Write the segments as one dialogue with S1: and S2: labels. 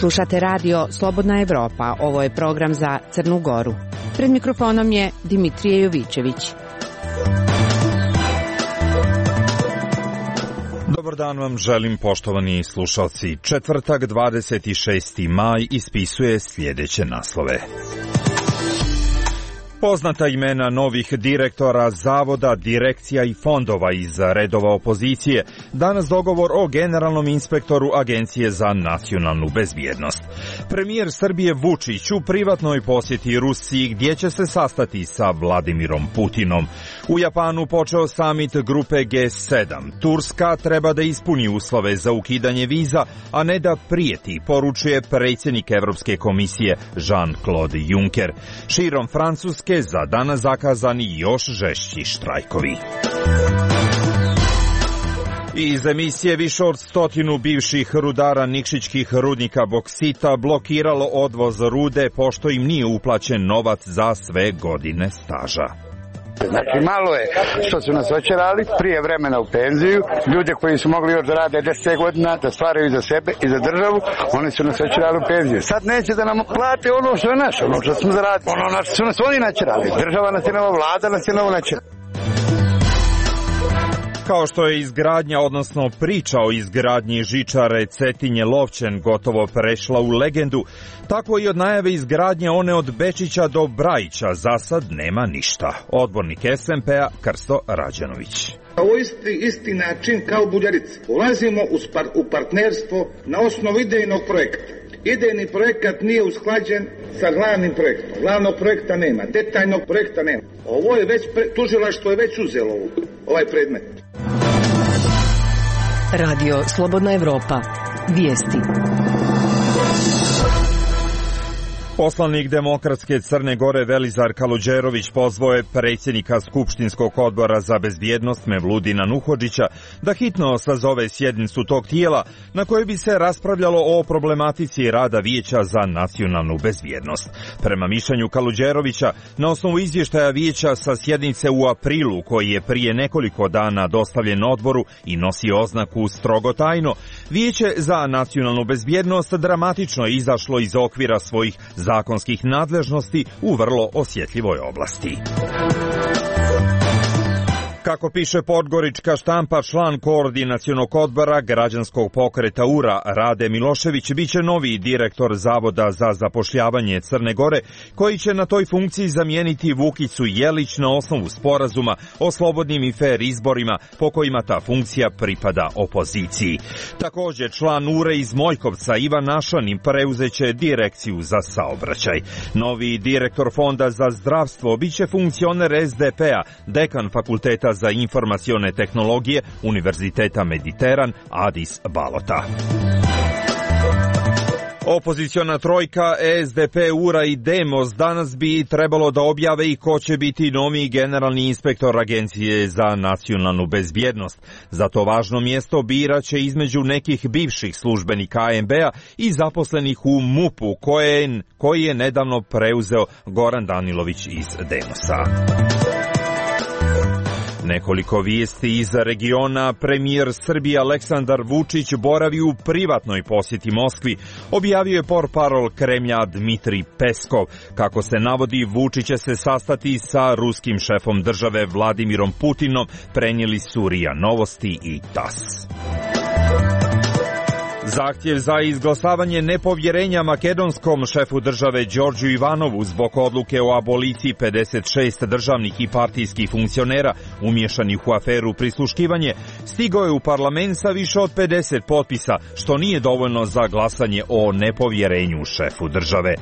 S1: Slušate radio Slobodna Evropa, ovo je program za Crnu Goru. Pred mikrofonom je Dimitrije Jovićević.
S2: Dobar dan vam želim, poštovani slušalci. Četvrtak, 26. maj ispisuje sljedeće naslove. Poznata imena novih direktora zavoda, direkcija i fondova iz redova opozicije. Danas dogovor o generalnom inspektoru Agencije za nacionalnu bezbjednost. Premijer Srbije Vučić u privatnoj posjeti Rusiji gdje će se sastati sa Vladimirom Putinom. U Japanu počeo samit grupe G7. Turska treba da ispuni uslove za ukidanje viza, a ne da prijeti, poručuje predsjednik Evropske komisije Jean-Claude Juncker. Širom Francuske za danas zakazani još žešći štrajkovi. Iz emisije više od 100 bivših rudara nikšićkih rudnika boksita blokiralo odvoz rude pošto im nije uplaćen novac za sve godine staža.
S3: Znači malo je što su nas očerali prije vremena u penziju, ljude koji su mogli još da rade 10 godina, da stvaraju za sebe i za državu, oni su nas očerali u penziju. Sad neće da nam plate ono što je naše, ono što smo zaradili, ono na što su nas oni načerali. Država nas je novo, vlada nas je novo načerala.
S2: Kao što je izgradnja, odnosno priča o izgradnji žičare Cetinje-Lovćen gotovo prešla u legendu, tako i od najave izgradnje one od Bečića do Brajića za sad nema ništa. Odbornik SMP-a Krsto Rađanović.
S4: Ovo isti način kao Buljarica. Ulazimo u partnerstvo na osnovu idejnog projekta. Idejni projekat nije usklađen sa glavnim projektom. Glavnog projekta nema, detaljnog projekta nema. Ovo je već, tužilaštvo je već uzelo ovaj predmet.
S5: Radio Slobodna Evropa. Vijesti.
S2: Poslanik Demokratske Crne Gore Velizar Kaluđerović pozvao je predsjednika Skupštinskog odbora za bezbjednost Mevludina Nuhodžića da hitno sazove sjednicu tog tijela na kojoj bi se raspravljalo o problematici rada Vijeća za nacionalnu bezbjednost. Prema mišljenju Kaluđerovića, na osnovu izvještaja Vijeća sa sjednice u aprilu koji je prije nekoliko dana dostavljen odboru i nosi oznaku strogo tajno, Vijeće za nacionalnu bezbjednost dramatično je izašlo iz okvira svojih zakonskih nadležnosti u vrlo osjetljivoj oblasti. Kako piše podgorička štampa, član koordinacionog odbora građanskog pokreta URA Rade Milošević biće novi direktor Zavoda za zapošljavanje Crne Gore, koji će na toj funkciji zamijeniti Vukicu Jelić na osnovu sporazuma o slobodnim i fer izborima po kojima ta funkcija pripada opoziciji. Također član URA iz Mojkovca Ivan Našanin preuzeće direkciju za saobraćaj. Novi direktor Fonda za zdravstvo biće funkcioner SDP-a, dekan fakulteta za informacione tehnologije Univerziteta Mediteran Adis Balota. Opoziciona trojka SDP, URA i Demos danas bi trebalo da objave i ko će biti novi generalni inspektor Agencije za nacionalnu bezbjednost. Za to važno mjesto biraće između nekih bivših službenika ANB-a i zaposlenih u MUP-u koji je nedavno preuzeo Goran Danilović iz Demosa. Nekoliko vijesti iz regiona. Premijer Srbije Aleksandar Vučić boravi u privatnoj posjeti Moskvi, objavio je portparol Kremlja Dmitrij Peskov. Kako se navodi, Vučić će se sastati sa ruskim šefom države Vladimirom Putinom, prenijeli su RIA Novosti i TAS. Zahtjev za izglasavanje nepovjerenja makedonskom šefu države Đorđu Ivanovu zbog odluke o aboliciji 56 državnih i partijskih funkcionera umješanih u aferu prisluškivanje stigao je u parlament sa više od 50 potpisa, što nije dovoljno za glasanje o nepovjerenju šefu države.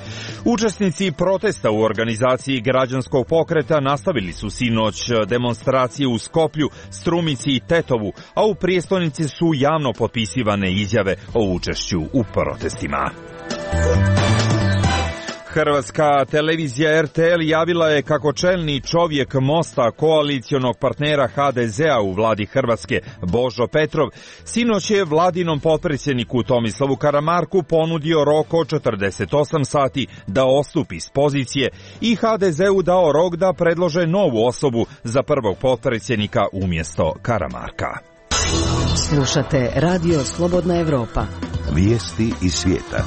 S2: Učesnici protesta u organizaciji građanskog pokreta nastavili su sinoć demonstracije u Skoplju, Strumici i Tetovu, a u prijestolnici su javno potpisivane izjave o učešću u protestima. Hrvatska televizija RTL javila je kako čelni čovjek Mosta, koalicionog partnera HDZ-a u vladi Hrvatske, Božo Petrov, sinoć je vladinom potpredsjedniku Tomislavu Karamarku ponudio rok od 48 sati da odstupi s pozicije i HDZ-u dao rok da predlože novu osobu za prvog potpredsjednika umjesto Karamarka.
S5: Slušate Radio Slobodna Evropa.
S6: Vijesti iz svijeta.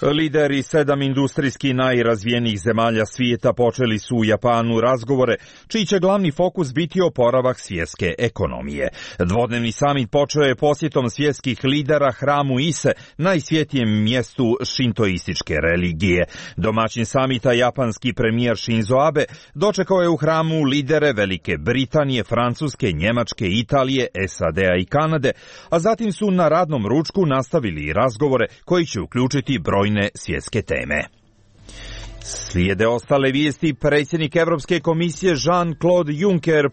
S2: Lideri 7 industrijski najrazvijenijih zemalja svijeta počeli su u Japanu razgovore, čiji će glavni fokus biti oporavak svjetske ekonomije. Dvodnevni samit počeo je posjetom svjetskih lidera hramu Ise, najsvjetijem mjestu šintoističke religije. Domaćin samita, japanski premijer Shinzo Abe, dočekao je u hramu lidere Velike Britanije, Francuske, Njemačke, Italije, SAD-a i Kanade, a zatim su na radnom ručku nastavili razgovore koji će uključiti brojne svjetske teme. Slijede ostale vijesti. Predsjednik Europske komisije Jean-Claude Juncker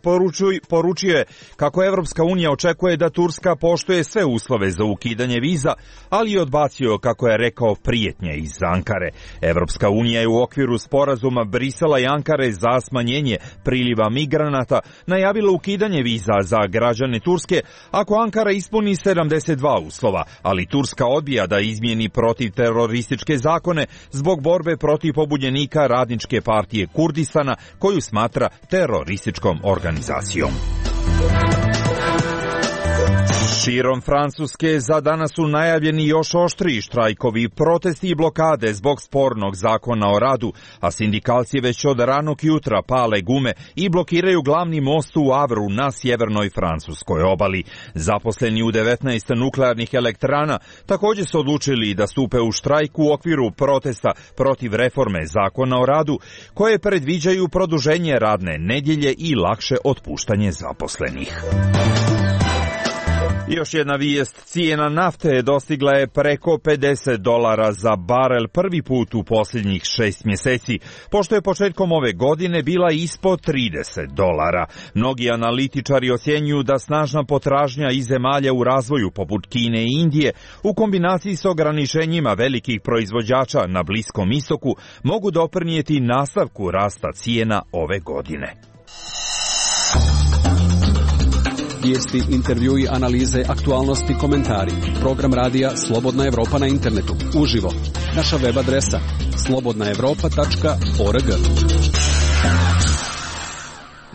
S2: poručio je kako Europska unija očekuje da Turska poštuje sve uslove za ukidanje viza, ali je odbacio, kako je rekao, prijetnje iz Ankare. Europska unija je u okviru sporazuma Brisela i Ankare za smanjenje priliva migranata najavila ukidanje viza za građane Turske ako Ankara ispuni 72 uslova, ali Turska odbija da izmijeni protivterorističke zakone zbog borbe protiv pobunjenika Radničke partije Kurdistana, koju smatra terorističkom organizacijom. Širom Francuske za danas su najavljeni još oštriji štrajkovi, protesti i blokade zbog spornog zakona o radu, a sindikalci već od ranog jutra pale gume i blokiraju glavni most u Avru na sjevernoj francuskoj obali. Zaposleni u 19 nuklearnih elektrana također su odlučili da stupe u štrajk u okviru protesta protiv reforme zakona o radu, koje predviđaju produženje radne nedjelje i lakše otpuštanje zaposlenih. Još jedna vijest, cijena nafte dostigla je preko $50 za barel prvi put u posljednjih 6 mjeseci, pošto je početkom ove godine bila ispod $30. Mnogi analitičari ocjenjuju da snažna potražnja iz zemalja u razvoju poput Kine i Indije u kombinaciji s ograničenjima velikih proizvođača na Bliskom istoku mogu doprinijeti nastavku rasta cijena ove godine.
S6: Vijesti, intervjui, analize, aktualnosti, komentari. Program radija Slobodna Evropa na internetu. Uživo. Naša web adresa slobodnaevropa.org.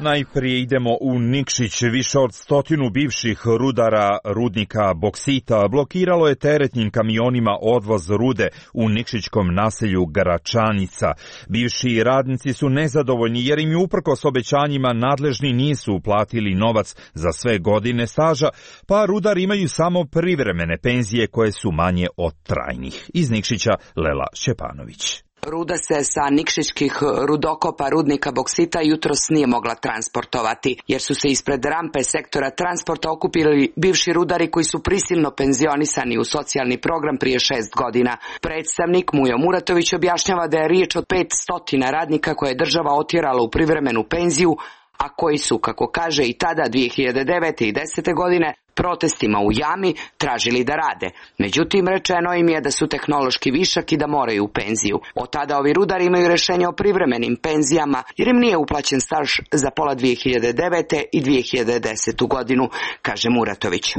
S2: Najprije idemo u Nikšić. Više od 100 bivših rudara rudnika boksita blokiralo je teretnim kamionima odvoz rude u nikšićkom naselju Gračanica. Bivši radnici su nezadovoljni jer im uprkos obećanjima nadležni nisu uplatili novac za sve godine staža, pa rudari imaju samo privremene penzije koje su manje od trajnih. Iz Nikšića Lela Šćepanović.
S7: Ruda se sa nikšićkih rudokopa rudnika boksita jutros nije mogla transportovati, jer su se ispred rampe sektora transporta okupili bivši rudari koji su prisilno penzionisani u socijalni program prije 6 godina. Predstavnik Mujo Muratović objašnjava da je riječ od 500 radnika koje je država otjerala u privremenu penziju, a koji su, kako kaže i tada 2009. i 2010. godine, protestima u jami tražili da rade. Međutim, rečeno im je da su tehnološki višak i da moraju u penziju. Od tada ovi rudari imaju rješenje o privremenim penzijama jer im nije uplaćen staž za pola 2009. i 2010. godinu, kaže Muratović.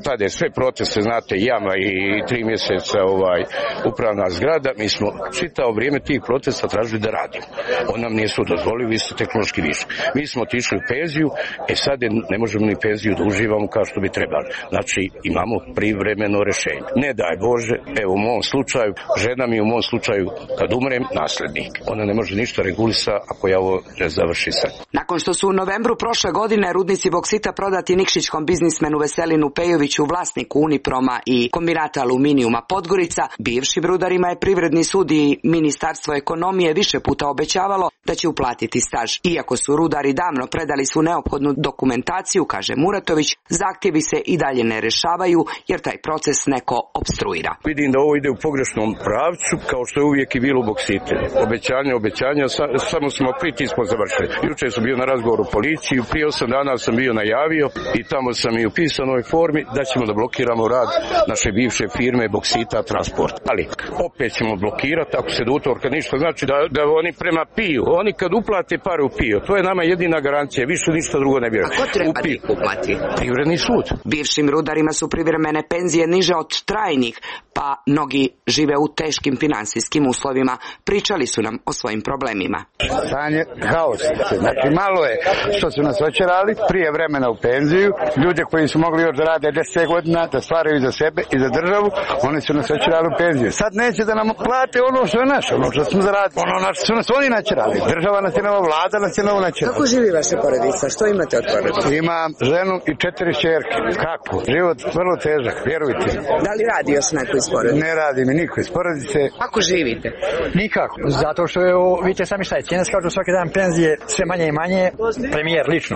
S8: Tada je sve proteste, znate, jama i 3 mjeseca upravna zgrada. Mi smo čitavo vrijeme tih protesta tražili da radimo. On nam nisu dozvolili, vi ste tehnološki višak. Mi smo otišli u penziju, sad ne možemo ni penziju da uživamo kao što bi trebali. Znači, imamo privremeno rješenje. Ne daj Bože, evo u mom slučaju, žena mi u mom slučaju, kad umrem, naslednik. Ona ne može ništa regulisa ako ja ovo ne završi sad.
S7: Nakon što su u novembru prošle godine rudnici boksita prodati nikšićkom biznismenu Veselinu Pejoviću, vlasniku Uniproma i kombinata aluminijuma Podgorica, bivšim rudarima je Privredni sud i Ministarstvo ekonomije više puta obećavalo da će uplatiti staž. Iako su rudari davno predali svu neophodnu dokumentaciju, kaže Muratović, zahtjevi se i dalje ne rješavaju jer taj proces neko opstruira.
S8: Vidim da ovo ide u pogrešnom pravcu, kao što je uvijek i bilo u boksitu. Obećanja, samo smo pritismo završili. Jučer sam bio na razgovoru u policiji, prije 8 dana sam bio najavio i tamo sam i u pisanoj formi da ćemo da blokiramo rad naše bivše firme Boksita Transport. Ali opet ćemo blokirati ako se do utorka ništa, znači da oni prema piju. Oni kad uplate pare u piju, to je nama jedina garancija, više ništa drugo ne vjeruje.
S7: A ko treba da ih uplati?
S8: Privredni sud.
S3: sud.
S7: Bivšim rudarima su privremene penzije niže od trajnih, pa mnogi žive u teškim finansijskim uslovima. Pričali su nam o svojim problemima.
S3: Stanje haos. Znači malo je što su nas očerali prije vremena u penziju. Ljude koji su mogli još da rade 10 godina, da stvaraju za sebe i za državu, oni su nas očerali u penziju. Sad neće da nam plate ono što je naše, ono što smo zaradili. Ono na što su nas oni načerali. Država nas je novo, vlada nas je novo načerala.
S9: Kako živi vaša porodica? Što imate od porodice?
S3: Imam ženu i 4 ćerke. Kako? Život vrlo težak, vjerujte.
S9: Da li radi još neko iz porodice?
S3: Ne radi mi niko iz porodice.
S9: Kako živite?
S10: Nikako. Zato što je, vidite sami šta je, cijene skaču svaki dan penzije sve manje i manje. Premijer lično.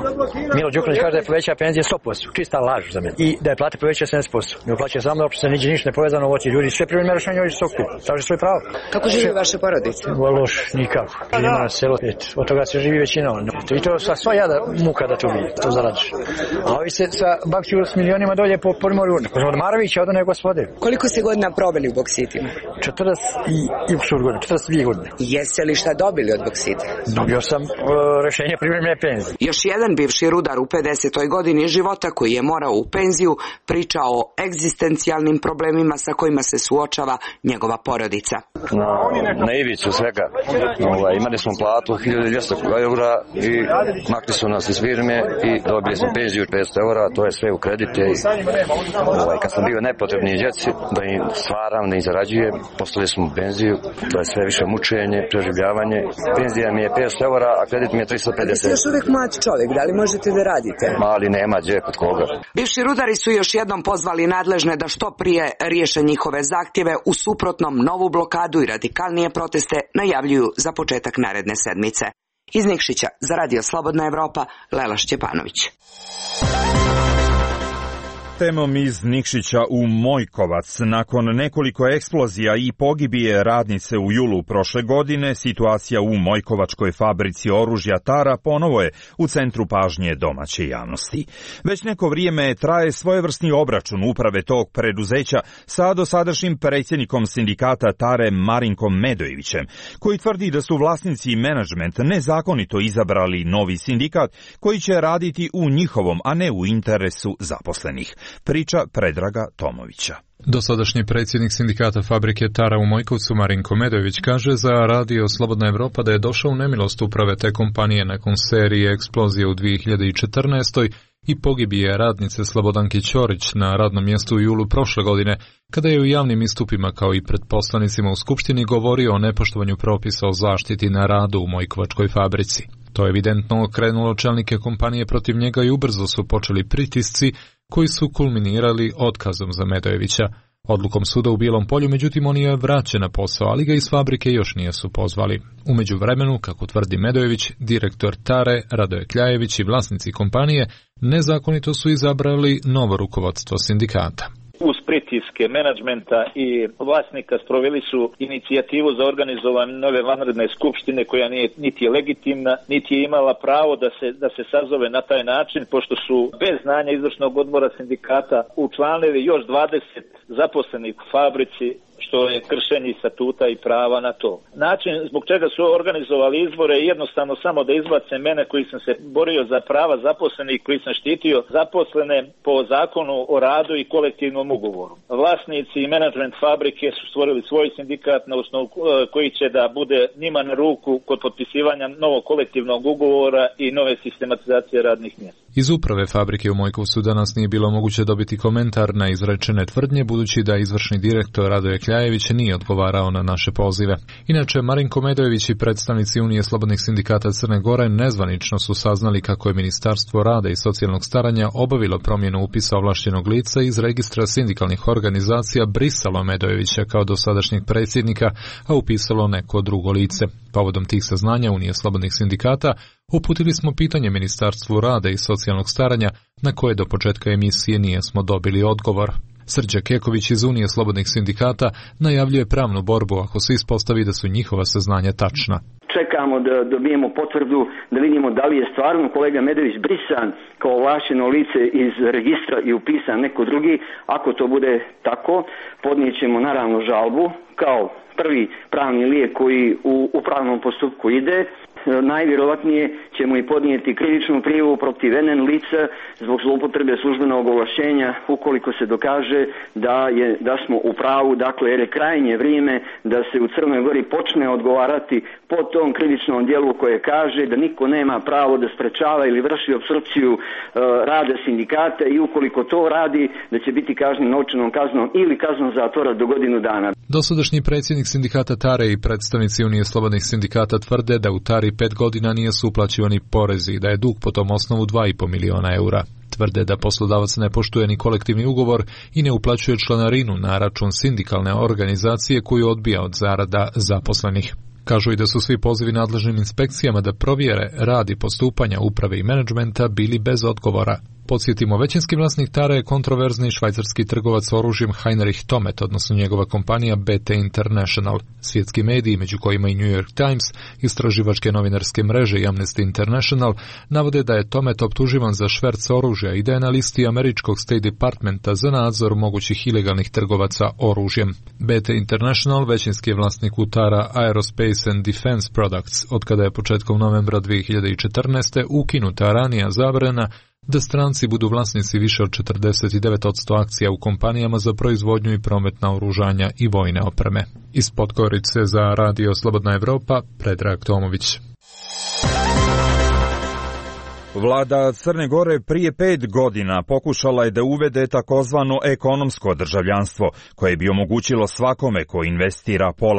S10: Milo Đukanović kaže da je poveća penzije 100%. Čista laž za mene. I da je plate poveća 70%. Ne uplaća samo da se niđe ništa ne povezano u oči ljudi. Sve privremeno rešenje ovdje su okup. Traže svoje pravo.
S9: Kako živi vaša porodica?
S10: Loš, nikako. Ima na selo 5. Od toga se živi većina. I to sa sva jada muka da to vidi. To zaradiš. A ovi se sa bakću s milionima dolje po primorju. Od Marovića od one gospode.
S9: Koliko ste godina proveli u Boksitima?
S10: 42 godine.
S9: Jeste li šta dobili od Boksita?
S10: Dobio sam rešenje privremene penzije.
S7: Još jedan bivši rudar u 50. godini života koji je morao u penziju priča o egzistencijalnim problemima sa kojima se suočava njegova porodica.
S11: Na ivicu svega. Imali smo platu 1200 eura i makli su nas iz firme i dobili smo penziju 500 eura, to je sve u kredite. Kad sam bio nepotrebni djeci, da im stvaram, da im zarađujem, poslali smo penziju, to je sve više mučenje, preživljavanje. Penzija mi je 500 eura, a kredit mi je 350.
S9: Jeste još uvijek mlad čovjek, da li možete da radite?
S11: Mali nema gdje kod koga.
S7: Bivši rudari su još jednom pozvali nadležne da što prije riješe njihove zahtjeve, u suprotnom novu blokadu i radikalnije proteste najavljuju za početak naredne sedmice. Iz Nikšića za Radio Slobodna Evropa, Lela Šćepanović.
S2: Temom iz Nikšića u Mojkovac. Nakon nekoliko eksplozija i pogibije radnice u julu prošle godine, situacija u Mojkovačkoj fabrici oružja Tara ponovo je u centru pažnje domaće javnosti. Već neko vrijeme traje svojevrsni obračun uprave tog preduzeća sa dosadašnjim predsjednikom sindikata Tare Marinkom Medojevićem, koji tvrdi da su vlasnici i menadžment nezakonito izabrali novi sindikat koji će raditi u njihovom, a ne u interesu zaposlenih. Priča Predraga Tomovića.
S12: Dosadašnji predsjednik sindikata fabrike Tara u Mojkovcu Marinko Medojević kaže za Radio Slobodna Evropa da je došao u nemilost uprave te kompanije nakon serije eksplozije u 2014. i pogibije radnice Slobodanke Ćorić na radnom mjestu u julu prošle godine, kada je u javnim istupima kao i pred poslanicima u Skupštini govorio o nepoštovanju propisa o zaštiti na radu u Mojkovačkoj fabrici. To je evidentno okrenulo čelnike kompanije protiv njega i ubrzo su počeli pritisci koji su kulminirali otkazom za Medojevića. Odlukom suda u Bijelom Polju, međutim, on je vraćen na posao, ali ga iz fabrike još nisu pozvali. U međuvremenu, kako tvrdi Medojević, direktor Tare, Radoje Kljajević i vlasnici kompanije nezakonito su izabrali novo rukovodstvo sindikata.
S13: Uz pritiske menadžmenta i vlasnika sproveli su inicijativu za organizovanje nove vanredne skupštine koja nije niti je legitimna, niti je imala pravo da se sazove na taj način, pošto su bez znanja izvršnog odbora sindikata učlanili još 20 zaposlenih u fabrici, što je kršenje statuta i prava na to. Način zbog čega su organizovali izbore je jednostavno samo da izbace mene koji sam se borio za prava zaposlenih, koji sam štitio zaposlene po zakonu o radu i kolektivnom ugovoru. Vlasnici i menadžment fabrike su stvorili svoj sindikat na osnovu koji će da bude njima na ruku kod potpisivanja novog kolektivnog ugovora i nove sistematizacije radnih mjesta.
S12: Iz uprave fabrike u Mojkovcu danas nije bilo moguće dobiti komentar na izrečene tvrdnje, budući da izvršni direktor Radoje Kljajević nije odgovarao na naše pozive. Inače, Marinko Medojević i predstavnici Unije slobodnih sindikata Crne Gore nezvanično su saznali kako je Ministarstvo rada i socijalnog staranja obavilo promjenu upisa ovlašćenog lica iz registra sindikalnih organizacija, brisalo Medojevića kao dosadašnjeg predsjednika, a upisalo neko drugo lice. Povodom tih saznanja Unije slobodnih sindikata uputili smo pitanje Ministarstvu rada i socijalnog staranja, na koje do početka emisije nismo dobili odgovor. Srđa Keković iz Unije slobodnih sindikata najavljuje pravnu borbu ako se ispostavi da su njihova saznanja tačna.
S14: Čekamo da dobijemo potvrdu, da vidimo da li je stvarno kolega Medojević brisan kao ovlašteno lice iz registra i upisan neko drugi. Ako to bude tako, podnijet ćemo naravno žalbu kao prvi pravni lijek koji u pravnom postupku ide. najvjerovatnije ćemo i podnijeti krivičnu prijavu protiv NN lica zbog zloupotrebe službenog ovlašćenja ukoliko se dokaže da smo u pravu, dakle jer je krajnje vrijeme da se u Crnoj Gori počne odgovarati po tom krivičnom dijelu koje kaže da niko nema pravo da sprečava ili vrši opstrukciju rada sindikata i ukoliko to radi da će biti kažnjen novčanom kaznom ili kaznom zatvora do godinu dana.
S12: Dosadašnji predsjednik sindikata Tare i predstavnici Unije slobodnih sindikata tvrde da u Tari 5 godina nije su uplaćivani porezi i da je dug po tom osnovu 2,5 miliona eura. Tvrde da poslodavac ne poštuje ni kolektivni ugovor i ne uplaćuje članarinu na račun sindikalne organizacije koju odbija od zarada zaposlenih. Kažu i da su svi pozivi nadležnim inspekcijama da provjere rad i postupanja uprave i menadžmenta bili bez odgovora. Podsjetimo, većinski vlasnik Tare je kontroverzni švajcarski trgovac oružjem Heinrich Tomet, odnosno njegova kompanija BT International. Svjetski mediji, među kojima i New York Times, istraživačke novinarske mreže i Amnesty International, navode da je Tomet optuživan za šverc oružja i da je na listi američkog State Departmenta za nadzor mogućih ilegalnih trgovaca oružjem. BT International većinski je vlasnik Tara Aerospace and Defense Products, otkada je početkom novembra 2014. ukinuta ranija zabrana da stranci budu vlasnici više od 49% akcija u kompanijama za proizvodnju i promet naoružanja i vojne opreme. Iz Podgorice za Radio Slobodna Evropa, Predrag Tomović.
S2: Vlada Crne Gore prije 5 godina pokušala je da uvede takozvano ekonomsko državljanstvo, koje bi omogućilo svakome ko investira $500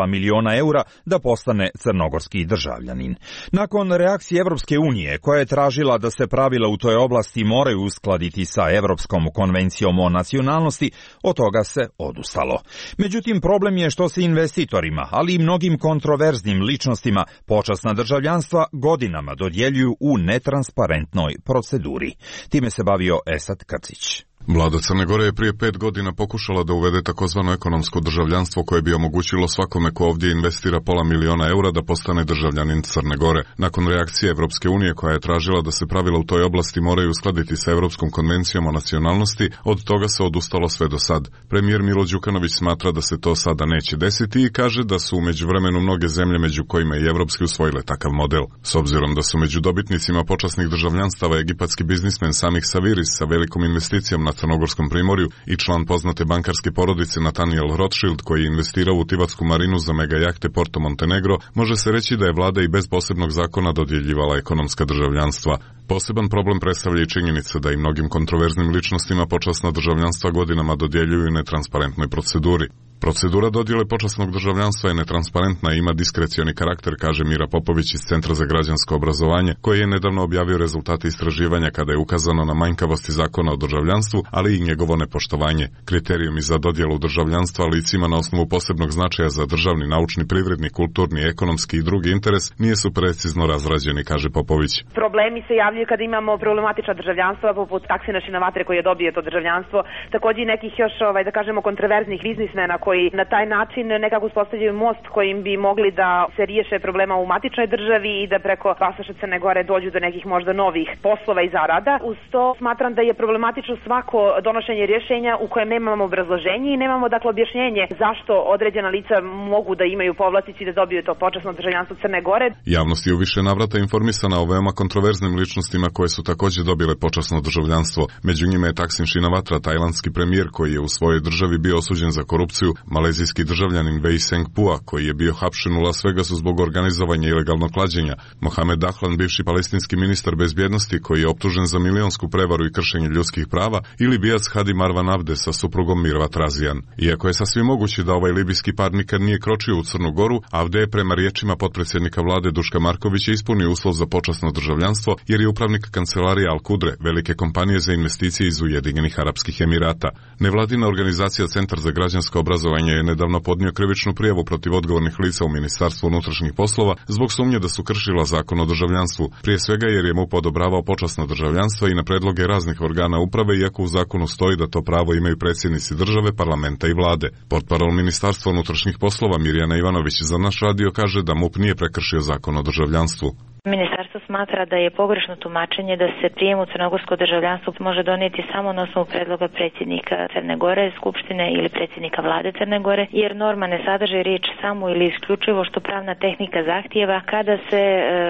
S2: 000 da postane crnogorski državljanin. Nakon reakcije Evropske unije, koja je tražila da se pravila u toj oblasti moraju uskladiti sa Evropskom konvencijom o nacionalnosti, od toga se odustalo. Međutim, problem je što se investitorima, ali i mnogim kontroverznim ličnostima počasna državljanstva godinama dodjeljuju u netransparentnoj proceduri. Time se bavio Esad Krcić.
S15: Vlada Crne Gore je prije 5 godina pokušala da uvede takozvano ekonomsko državljanstvo koje bi omogućilo svakome ko ovdje investira $500 000 da postane državljanin Crne Gore. Nakon reakcije Evropske unije koja je tražila da se pravila u toj oblasti moraju uskladiti sa Evropskom konvencijom o nacionalnosti, od toga se odustalo sve do sad. Premijer Milo Đukanović smatra da se to sada neće desiti i kaže da su u međuvremenu mnoge zemlje, među kojima i evropski, usvojile takav model. S obzirom da su među dobitnicima počasnih državljanstava egipatski biznismen Samih Saviris sa velikom investicijom na Crnogorskom primorju i član poznate bankarske porodice Nathaniel Rothschild, koji je investirao u tivatsku marinu za mega jahte Porto Montenegro, može se reći da je vlada i bez posebnog zakona dodjeljivala ekonomska državljanstva. Poseban problem predstavlja i činjenica da i mnogim kontroverznim ličnostima počasna državljanstva godinama dodjeljuju netransparentnoj proceduri. Procedura dodjele počasnog državljanstva je netransparentna i ima diskrecioni karakter, kaže Mira Popović iz Centra za građansko obrazovanje, koji je nedavno objavio rezultate istraživanja kada je ukazano na manjkavosti zakona o državljanstvu, ali i njegovo nepoštovanje. Kriterijumi za dodjelu državljanstva licima na osnovu posebnog značaja za državni, naučni, privredni, kulturni, ekonomski i drugi interes nisu precizno razrađeni, kaže Popović.
S16: Problemi se javljaju kada imamo problematična državljanstva, poput Taksina Šinavatre koji je dobio to državljanstvo, također i nekih još, da kažemo, kontroverznih biznismena koji na taj način nekako uspostavljaju most kojim bi mogli da se riješe problema u matičnoj državi i da preko pasoša Crne Gore dođu do nekih možda novih poslova i zarada. Uz to smatram da je problematično svako donošenje rješenja u kojem nemamo obrazloženje i nemamo dakle objašnjenje zašto određena lica mogu da imaju povlasticu i da dobiju to počasno državljanstvo Crne Gore.
S15: Javnost je u više navrata informisana o veoma kontroverznim ličnostima koje su također dobile počasno državljanstvo. Među njima je Taksin Shinawatra, tajlandski premijer koji je u svojoj državi bio osuđen za korupciju, malezijski državljanin Wei Sengpua koji je bio hapšen u Las Vegasu zbog organizovanja ilegalnog klađenja, Mohamed Dahlan, bivši palestinski ministar bezbjednosti koji je optužen za milionsku prevaru i kršenje ljudskih prava, i Libijac Hadi Marwan Abde sa suprugom Mirvat Razijan. Iako je sasvim moguće da ovaj libijski par nikad nije kročio u Crnu Goru, Abde je prema riječima potpredsjednika vlade Duška Markovića ispunio uslov za počasno državljanstvo jer je upravnik kancelarije Al Kudre, velike kompanije za investicije iz Ujedinjenih Arapskih Emirata. Nevladina organizacija Centar za građansko obrazovanje je nedavno podnio krivičnu prijavu protiv odgovornih lica u Ministarstvu unutrašnjih poslova zbog sumnje da su kršila zakon o državljanstvu, prije svega jer je MUP odobravao počasno državljanstvo i na predloge raznih organa uprave, iako u zakonu stoji da to pravo imaju predsjednici države, parlamenta i vlade. Portparol Ministarstva unutrašnjih poslova Mirjana Ivanović za naš radio kaže da MUP nije prekršio zakon o državljanstvu.
S17: Ministarstvo smatra da je pogrešno tumačenje da se prijem u crnogorsko državljanstvo može donijeti samo na osnovu predloga predsjednika Crne Gore, Skupštine ili predsjednika vlade Crne Gore, jer norma ne sadrži riječ samo ili isključivo što pravna tehnika zahtijeva kada se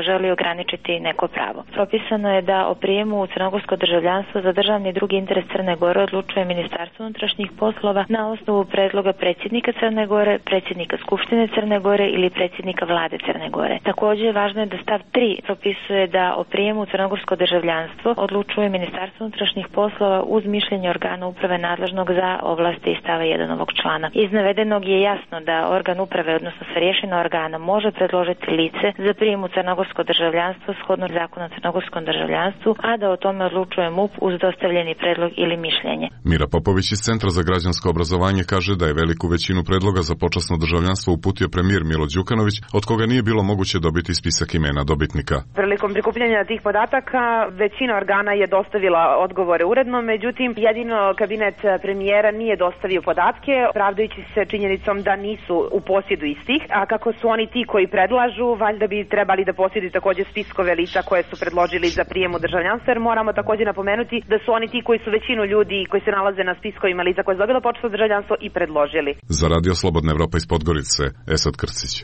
S17: želi ograničiti neko pravo. Propisano je da o prijemu u crnogorsko državljanstvo za državni i drugi interes Crne Gore odlučuje Ministarstvo unutrašnjih poslova na osnovu predloga predsjednika Crne Gore, predsjednika Skupštine Crne Gore ili predsjednika vlade Crne Gore. Također važno je da stav 3 propisuje da o prijemu u crnogorsko državljanstvo odlučuje Ministarstvo unutrašnjih poslova uz mišljenje organa uprave nadležnog za ovlasti iz stava 1 ovog člana. Iz navedenog je jasno da organ uprave, odnosno starješina organa, može predložiti lice za prijem u crnogorsko državljanstvo shodno zakonu o crnogorskom državljanstvu, a da o tome odlučuje MUP uz dostavljeni predlog ili mišljenje.
S15: Mira Popović iz Centra za građansko obrazovanje kaže da je veliku većinu predloga za počasno državljanstvo uputio premijer Milo Đukanović, od koga nije bilo moguće dobiti spisak imena dobitnika.
S16: Prilikom prikupljanja tih podataka većina organa je dostavila odgovore uredno, međutim jedino kabinet premijera nije dostavio podatke, pravdajući se činjenicom da nisu u posjedu istih, a kako su oni ti koji predlažu, valjda bi trebali da posjeduju također spiskove lica koje su predložili za prijem u državljanstvo, jer moramo također napomenuti da su oni ti koji su većinu ljudi koji se nalaze na spiskovima lica koje su dobilo počasno državljanstvo i predložili.
S15: Za Radio Slobodna Evropa iz Podgorice, Esad Krcić.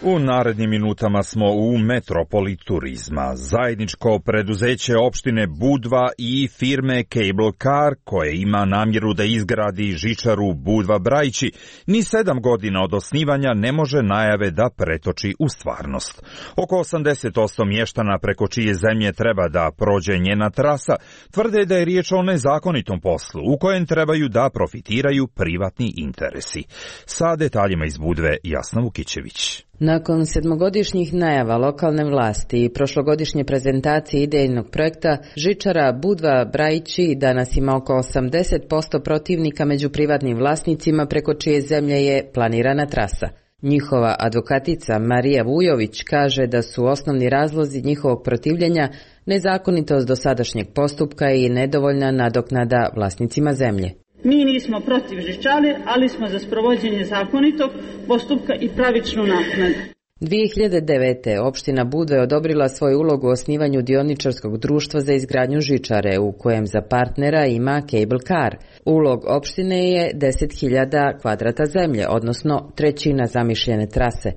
S2: U narednim minutama smo u metropoli turizma. Zajedničko preduzeće opštine Budva i firme Cable Car, koje ima namjeru da izgradi žičaru Budva-Brajići, ni 7 godina od osnivanja ne može najave da pretoči u stvarnost. Oko 80% mještana preko čije zemlje treba da prođe njena trasa tvrde da je riječ o nezakonitom poslu u kojem trebaju da profitiraju privatni interesi. Sa detaljima iz Budve, Jasna Vukićević.
S18: Nakon 7-godišnjih najava lokalne vlasti i prošlogodišnje prezentacije idejnog projekta, žičara Budva-Brajići danas ima oko 80% protivnika među privatnim vlasnicima preko čije zemlje je planirana trasa. Njihova advokatica Marija Vujović kaže da su osnovni razlozi njihovog protivljenja nezakonitost dosadašnjeg postupka i nedovoljna nadoknada vlasnicima zemlje.
S19: Mi nismo protiv žičare, ali smo za sprovođenje zakonitog postupka i pravičnu naknadu.
S18: 2009. opština Budva je odobrila svoju ulogu u osnivanju dioničarskog društva za izgradnju žičare, u kojem za partnera ima Cable Car. Ulog opštine je 10.000 kvadrata zemlje, odnosno 1/3 zamišljene trase.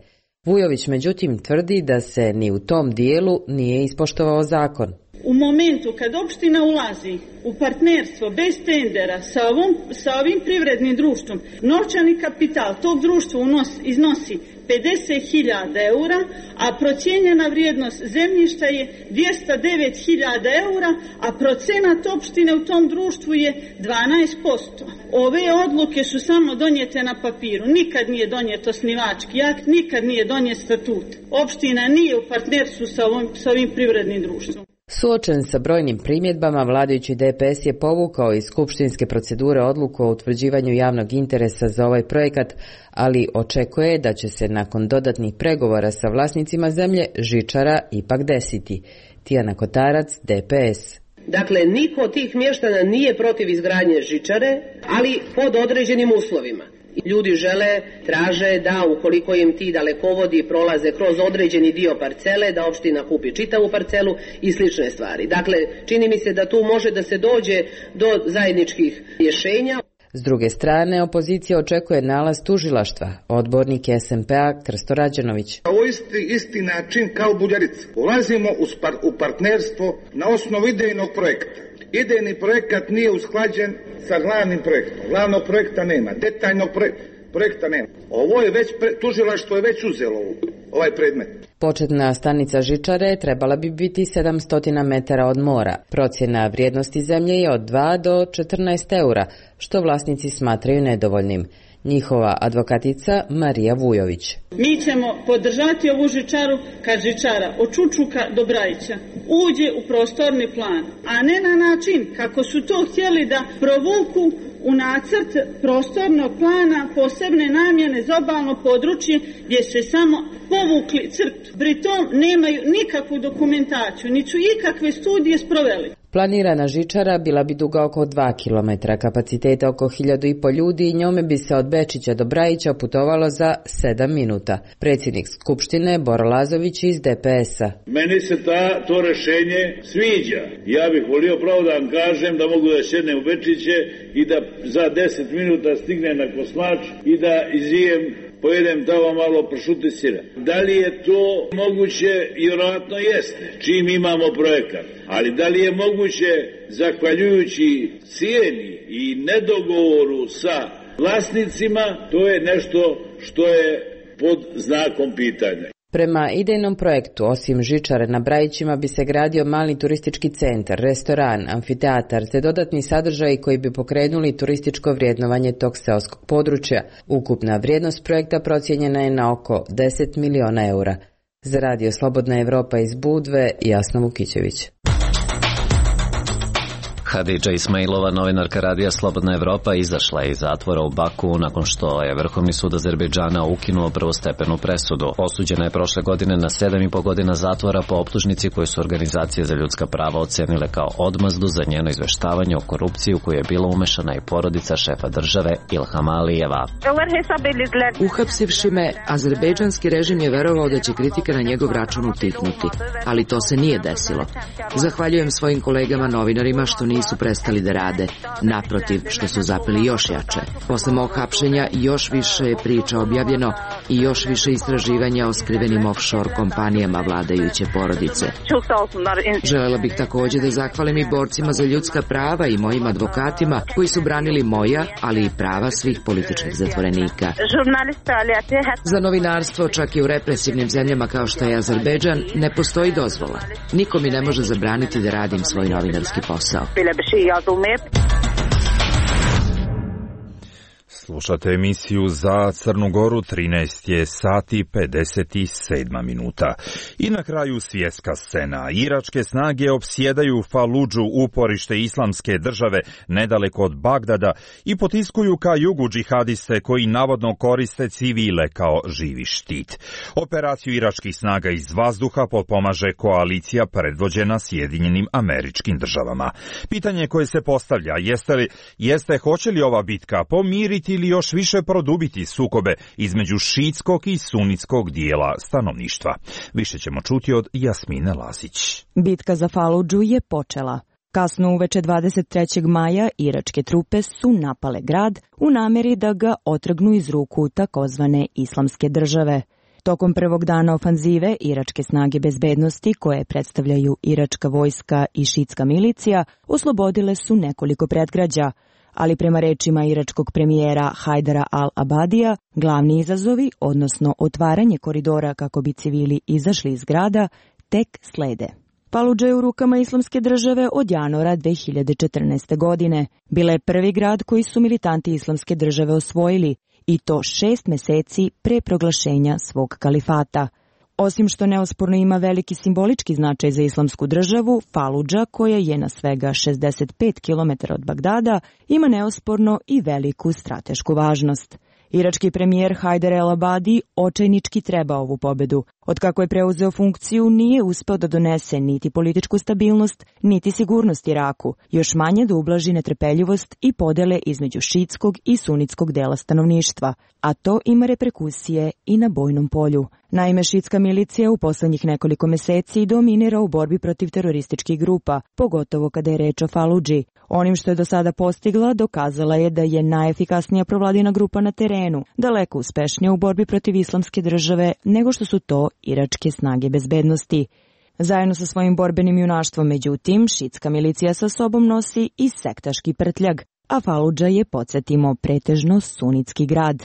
S18: Vujović međutim tvrdi da se ni u tom dijelu nije ispoštovao zakon.
S19: U momentu kad opština ulazi u partnerstvo bez tendera sa ovim privrednim društvom, novčani kapital tog društva iznosi 50.000 eura, a procijenjena vrijednost zemljišta je 209.000 eura, a procenat opštine u tom društvu je 12%. Ove odluke su samo donijete na papiru, nikad nije donijet osnivački akt, nikad nije donijet statut. Opština nije u partnerstvu sa ovim privrednim društvom.
S18: Suočen sa brojnim primjedbama, vladajući DPS je povukao iz skupštinske procedure odluku o utvrđivanju javnog interesa za ovaj projekat, ali očekuje da će se nakon dodatnih pregovora sa vlasnicima zemlje žičara ipak desiti. Tijana Kotarac, DPS.
S20: Dakle, niko od tih mještana nije protiv izgradnje žičare, ali pod određenim uslovima. Ljudi žele, traže da ukoliko im ti dalekovodi prolaze kroz određeni dio parcele, da opština kupi čitavu parcelu i slične stvari. Dakle, čini mi se da tu može da se dođe do zajedničkih rješenja.
S18: S druge strane, opozicija očekuje nalaz tužilaštva. Odbornik SMP-a Krsto Rađenović.
S4: Ovo isti način kao Buljarica. Ulazimo u partnerstvo na osnovu idejnog projekta. Idejni projekat nije usklađen sa glavnim projektom. Glavnog projekta nema, detaljnog projekta nema. Ovo je već, tužilaštvo je već uzelo ovaj predmet.
S18: Početna stanica žičare trebala bi biti 700 metara od mora. Procjena vrijednosti zemlje je od 2 do 14 eura, što vlasnici smatraju nedovoljnim. Njihova advokatica Marija Vujović.
S19: Mi ćemo podržati ovu žičaru kad žičara od Čučuka do Brajića uđe u prostorni plan, a ne na način kako su to htjeli da provuku u nacrt prostornog plana posebne namjene za obalno područje gdje se samo povukli crtu. Pri tom nemaju nikakvu dokumentaciju, niti su ikakve studije sproveli.
S18: Planirana žičara bila bi duga oko 2 km, kapaciteta oko 1500 ljudi i njome bi se od Bečića do Brajića putovalo za 7 minuta. Predsjednik Skupštine Boro Lazović iz DPS-a.
S21: Meni se to rešenje sviđa. Ja bih volio pravo da vam kažem da mogu da sjednem u Bečiće i da za 10 minuta stignem na Koslač i da izijem, pojedem tamo malo pršuta i sira. Da li je to moguće? Vjerojatno jeste, čim imamo projekat. Ali da li je moguće, zahvaljujući cijeni i nedogovoru sa vlasnicima, to je nešto što je pod znakom pitanja.
S18: Prema idejnom projektu, osim žičare na Brajićima bi se gradio mali turistički centar, restoran, amfiteatar te dodatni sadržaji koji bi pokrenuli turističko vrijednovanje tog seoskog područja. Ukupna vrijednost projekta procijenjena je na oko 10 miliona eura. Za Radio Slobodna Evropa iz Budve, Jasna Vukićević.
S22: Hadidža Ismailova, novinarka Radija Slobodna Evropa, izašla je iz zatvora u Baku nakon što je Vrhovni sud Azerbejdžana ukinuo prvostepenu presudu. Osuđena je prošle godine na 7,5 godina zatvora po optužnici koju su organizacije za ljudska prava ocenile kao odmazdu za njeno izveštavanje o korupciji u koju je bila umešana i porodica šefa države Ilham Alijeva.
S23: Uhapsivši me, azerbejdžanski režim je verovao da će kritika na njegov račun utihnuti, ali to se nije desilo. Zahvaljujem svojim kolegama novinarima što nisu prestali da rade, naprotiv što su zapeli još jače. Posle mog hapšenja još više je priča objavljeno i još više istraživanja o skrivenim offshore kompanijama vladajuće porodice. Želela bih također da zahvalim i borcima za ljudska prava i mojim advokatima koji su branili moja, ali i prava svih političkih zatvorenika. Za novinarstvo, čak i u represivnim zemljama kao što je Azerbejdžan, ne postoji dozvola. Niko mi ne može zabraniti da radim svoj novinarski posao.
S2: Slušate emisiju za Crnu Goru, 13 je sati 57 minuta. I na kraju svjetska scena. Iračke snage opsjedaju Faludžu, uporište islamske države, nedaleko od Bagdada, i potiskuju ka jugu džihadiste koji navodno koriste civile kao živi štit. Operaciju iračkih snaga iz vazduha potpomaže koalicija predvođena Sjedinjenim Američkim Državama. Pitanje koje se postavlja jeste hoće li ova bitka pomiriti ili još više produbiti sukobe između šiitskog i sunitskog dijela stanovništva. Više ćemo čuti od Jasmine Lazić.
S24: Bitka za Faludžu je počela. Kasno uveče 23. maja iračke trupe su napale grad u namjeri da ga otrgnu iz ruku takozvane islamske države. Tokom prvog dana ofanzive, iračke snage bezbednosti, koje predstavljaju iračka vojska i šiitska milicija, oslobodile su nekoliko predgrađa, ali prema rečima iračkog premijera Hajdara al-Abadija, glavni izazovi, odnosno otvaranje koridora kako bi civili izašli iz grada, tek slede. Faludža je u rukama islamske države od januara 2014. godine. Bila je prvi grad koji su militanti islamske države osvojili, i to 6 meseci pre proglašenja svog kalifata. Osim što neosporno ima veliki simbolički značaj za islamsku državu, Faludža, koja je na svega 65 km od Bagdada, ima neosporno i veliku stratešku važnost. Irački premijer Hajdar el-Abadi očajnički treba ovu pobedu. Otkako je preuzeo funkciju, nije uspeo da donese niti političku stabilnost, niti sigurnost Iraku, još manje da ublaži netrpeljivost i podele između šiitskog i sunitskog dela stanovništva, a to ima reperkusije i na bojnom polju. Naime, šiitska milicija u poslednjih nekoliko meseci dominira u borbi protiv terorističkih grupa, pogotovo kada je reč o Faludži. Onim što je do sada postigla, dokazala je da je najefikasnija provladina grupa na terenu, daleko uspešnija u borbi protiv islamske države nego što su to iračke snage bezbednosti. Zajedno sa svojim borbenim junaštvom, međutim, šiitska milicija sa sobom nosi i sektaški prtljag, a Faludža je, podsjetimo, pretežno sunitski grad.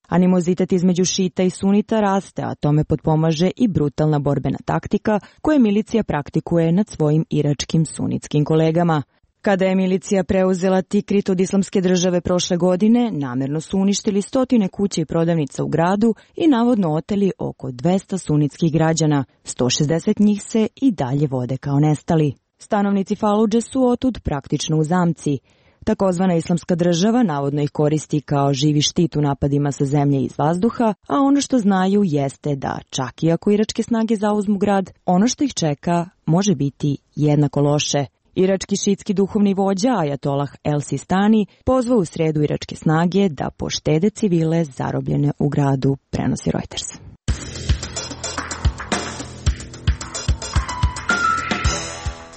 S24: Animozitet između šita i sunita raste, a tome potpomaže i brutalna borbena taktika koju milicija praktikuje nad svojim iračkim sunitskim kolegama. Kada je milicija preuzela Tikrit od islamske države prošle godine, namjerno su uništili 100 kuća i prodavnica u gradu i navodno oteli oko 200 sunitskih građana. 160 njih se i dalje vode kao nestali. Stanovnici Faludže su otud praktično u zamci. Takozvana islamska država navodno ih koristi kao živi štit u napadima sa zemlje i iz vazduha, a ono što znaju jeste da čak i ako iračke snage zauzmu grad, ono što ih čeka može biti jednako loše. Irački šiitski duhovni vođa Ajatolah El Sistani pozvao u sredu iračke snage da poštede civile zarobljene u gradu, prenosi Reuters.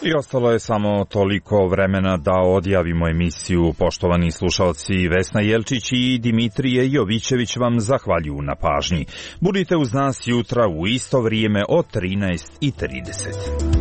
S2: I ostalo je samo toliko vremena da odjavimo emisiju. Poštovani slušalci, Vesna Jelčić i Dimitrije Jovićević vam zahvaljuju na pažnji. Budite uz nas jutra u isto vrijeme od 13:30.